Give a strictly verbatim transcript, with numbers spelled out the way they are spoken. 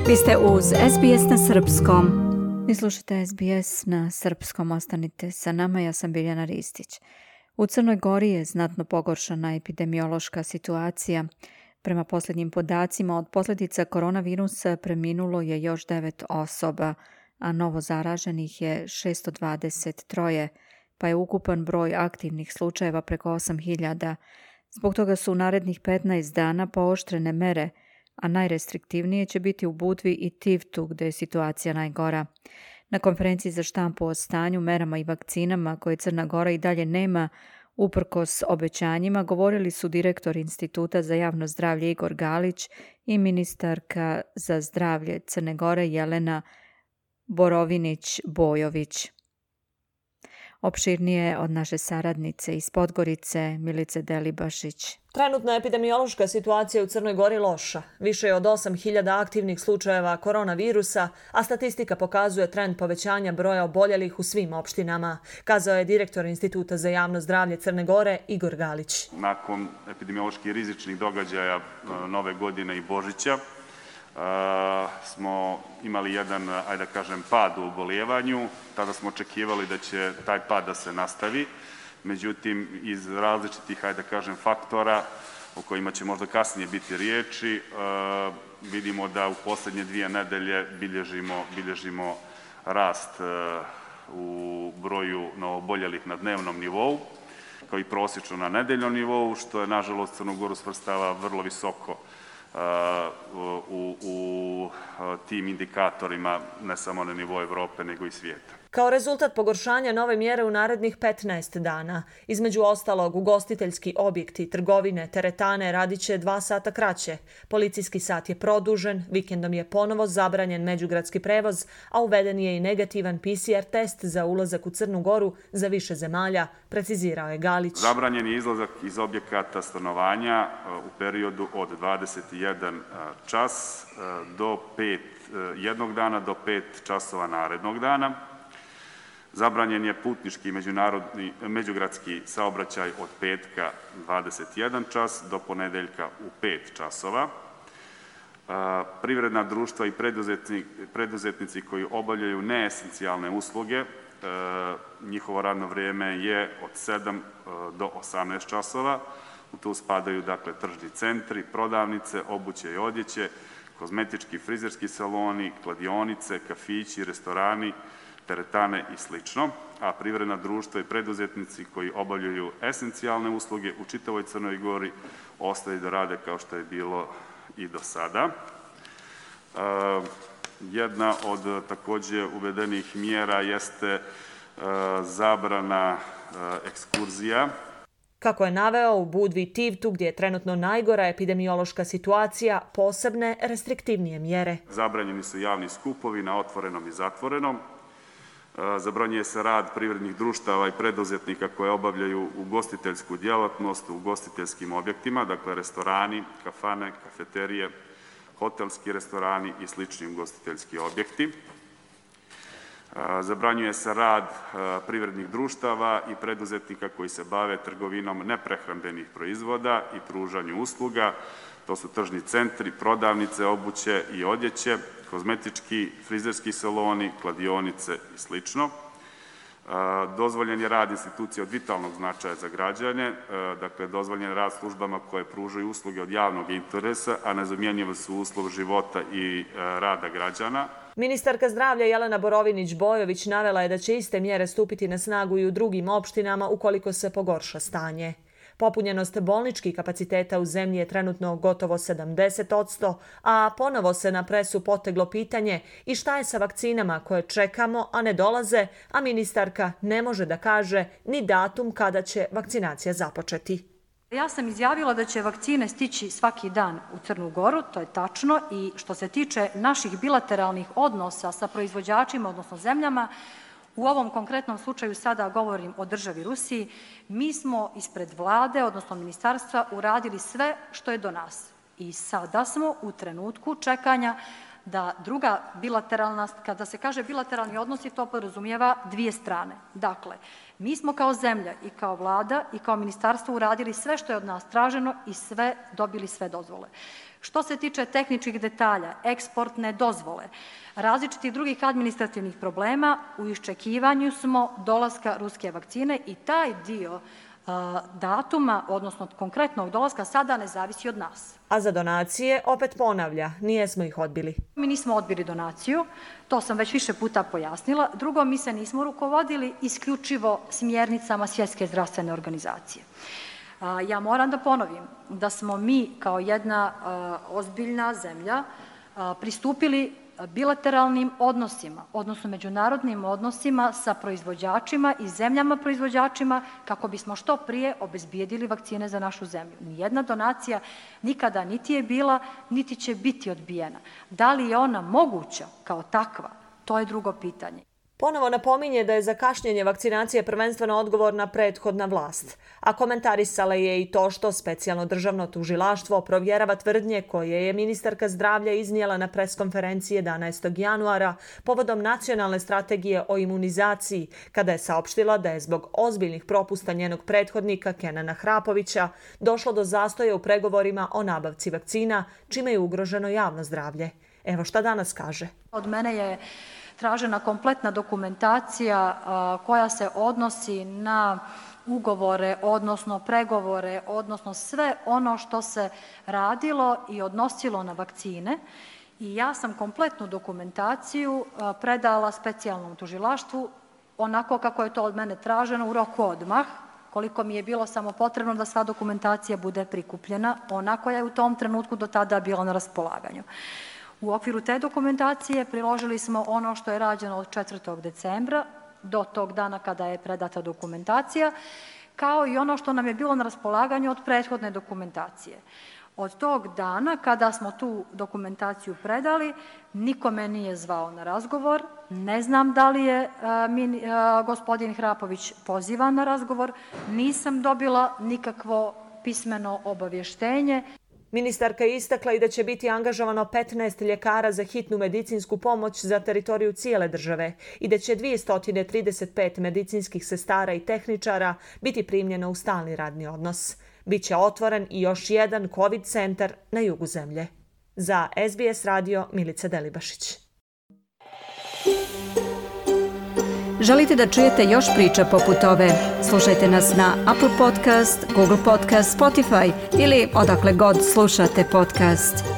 Vi ste uz S B S na srpskom. Vi slušate S B S na srpskom, ostanite sa nama, ja sam Biljana Ristić. U Crnoj Gori je znatno pogoršana epidemiološka situacija. Prema posljednjim podacima, od posljedica koronavirusa preminulo je još devet osoba, a novo zaraženih je šesto dvadeset tri, pa je ukupan broj aktivnih slučajeva preko osam hiljada. Zbog toga su u narednih petnaest dana pooštrene mere, a najrestriktivnije će biti u Budvi i Tivtu, gdje je situacija najgora. Na konferenciji za štampu o stanju, merama i vakcinama koje Crna Gora i dalje nema, uprkos obećanjima, govorili su direktor Instituta za javno zdravlje Igor Galić i ministarka za zdravlje Crne Gore Jelena Borovinić-Bojović. Opširnije od naše saradnice iz Podgorice, Milice Delibašić. Trenutna epidemiološka situacija u Crnoj Gori loša. Više je od osam hiljada aktivnih slučajeva koronavirusa, a statistika pokazuje trend povećanja broja oboljelih u svim opštinama, kazao je direktor Instituta za javno zdravlje Crne Gore Igor Galić. Nakon epidemioloških rizičnih događaja Nove godine i Božića, Uh, smo imali jedan, ajde da kažem, pad u obolijevanju. Tada smo očekivali da će taj pad da se nastavi. Međutim, iz različitih, ajde da kažem, faktora o kojima će možda kasnije biti riječi, uh, vidimo da u posljednje dvije nedelje bilježimo, bilježimo rast uh, u broju novooboljelih na dnevnom nivou, kao i prosječno na nedeljnom nivou, što je, nažalost, Crnu Goru svrstava vrlo visoko u, u tim indikatorima, ne samo na nivou Evrope, nego i svijeta. Kao rezultat pogoršanja nove mjere u narednih petnaest dana, između ostalog ugostiteljski objekti, trgovine, teretane radit će dva sata kraće. Policijski sat je produžen, vikendom je ponovo zabranjen međugradski prevoz, a uveden je i negativan P C R test za ulazak u Crnu Goru za više zemalja, precizirao je Galić. Zabranjen je izlazak iz objekata stanovanja u periodu od dvadeset jedan čas do pet, jednog dana do pet časova narednog dana. Zabranjen je putnički međunarodni, međugradski saobraćaj od petka dvadeset jedan čas do ponedeljka u pet časova. Privredna društva i preduzetnici koji obavljaju neesencijalne usluge, njihovo radno vrijeme je od sedam do osamnaest časova. U to spadaju, dakle, tržni centri, prodavnice, obuće i odjeće, kozmetički, frizerski saloni, kladionice, kafići, restorani, teretane i slično, a privredna društva i preduzetnici koji obavljaju esencijalne usluge u čitavoj Crnoj Gori ostaju da rade kao što je bilo i do sada. E, jedna od također uvedenih mjera jeste e, zabrana e, ekskurzija. Kako je naveo, u Budvi i Tivtu, gdje je trenutno najgora epidemiološka situacija, posebne restriktivnije mjere. Zabranjeni su javni skupovi na otvorenom i zatvorenom. Zabranjuje se rad privrednih društava i preduzetnika koje obavljaju ugostiteljsku djelatnost u ugostiteljskim objektima, dakle restorani, kafane, kafeterije, hotelski restorani i slični ugostiteljski objekti. Zabranjuje se rad privrednih društava i preduzetnika koji se bave trgovinom neprehrambenih proizvoda i pružanju usluga. To su tržni centri, prodavnice, obuće i odjeće, kozmetički, frizerski saloni, kladionice i slično. Dozvoljen je rad institucija od vitalnog značaja za građane, dakle dozvoljen je rad službama koje pružaju usluge od javnog interesa, a nezamjenjivi su uslov života i rada građana. Ministarka zdravlja Jelena Borovinić-Bojović navela je da će iste mjere stupiti na snagu i u drugim opštinama ukoliko se pogorša stanje. Popunjenost bolničkih kapaciteta u zemlji je trenutno gotovo sedamdeset posto, a ponovo se na presu poteglo pitanje i šta je sa vakcinama koje čekamo, a ne dolaze, a ministarka ne može da kaže ni datum kada će vakcinacija započeti. Ja sam izjavila da će vakcine stići svaki dan u Crnu Goru, to je tačno, i što se tiče naših bilateralnih odnosa sa proizvođačima, odnosno zemljama, u ovom konkretnom slučaju sada govorim o državi Rusiji, mi smo ispred vlade, odnosno ministarstva, uradili sve što je do nas. I sada smo u trenutku čekanja da druga bilateralna, kada se kaže bilateralni odnosi, to podrazumijeva dvije strane. Dakle, mi smo kao zemlja i kao vlada i kao ministarstvo uradili sve što je od nas traženo i sve dobili sve dozvole. Što se tiče tehničkih detalja, eksportne dozvole, različitih drugih administrativnih problema, u iščekivanju smo dolaska ruske vakcine i taj dio a, datuma, odnosno konkretnog dolaska, sada ne zavisi od nas. A za donacije, opet ponavlja, nijesmo ih odbili. Mi nismo odbili donaciju, to sam već više puta pojasnila. Drugo, mi se nismo rukovodili isključivo smjernicama Svjetske zdravstvene organizacije. Ja moram da ponovim da smo mi kao jedna ozbiljna zemlja pristupili bilateralnim odnosima, odnosno međunarodnim odnosima sa proizvođačima i zemljama proizvođačima kako bismo što prije obezbijedili vakcine za našu zemlju. Nijedna donacija nikada niti je bila, niti će biti odbijena. Da li je ona moguća kao takva, to je drugo pitanje. Ponovo napominje da je za kašnjenje vakcinacije prvenstveno odgovorna prethodna vlast, a komentarisala je i to što specijalno državno tužilaštvo provjerava tvrdnje koje je ministarka zdravlja iznijela na preskonferenciji jedanaestog januara povodom nacionalne strategije o imunizaciji, kada je saopštila da je zbog ozbiljnih propusta njenog prethodnika Kenana Hrapovića došlo do zastoja u pregovorima o nabavci vakcina, čime je ugroženo javno zdravlje. Evo šta danas kaže. Od mene je tražena kompletna dokumentacija a, koja se odnosi na ugovore, odnosno pregovore, odnosno sve ono što se radilo i odnosilo na vakcine. I ja sam kompletnu dokumentaciju a, predala specijalnom tužilaštvu onako kako je to od mene traženo u roku odmah, koliko mi je bilo samo potrebno da sva dokumentacija bude prikupljena, ona koja je u tom trenutku do tada bila na raspolaganju. U okviru te dokumentacije priložili smo ono što je rađeno od četvrtog decembra do tog dana kada je predata dokumentacija, kao i ono što nam je bilo na raspolaganju od prethodne dokumentacije. Od tog dana kada smo tu dokumentaciju predali, niko me nije zvao na razgovor, ne znam da li je a, min, a, gospodin Hrapović pozivan na razgovor, nisam dobila nikakvo pismeno obavještenje. Ministarka je istakla i da će biti angažovano petnaest ljekara za hitnu medicinsku pomoć za teritoriju cijele države i da će dvjesto trideset pet medicinskih sestara i tehničara biti primljeno u stalni radni odnos. Biće otvoren i još jedan COVID centar na jugu zemlje. Za S B S radio Milica Delibašić. Želite da čujete još priča poput ove? Slušajte nas na Apple Podcast, Google Podcast, Spotify ili odakle god slušate podcast.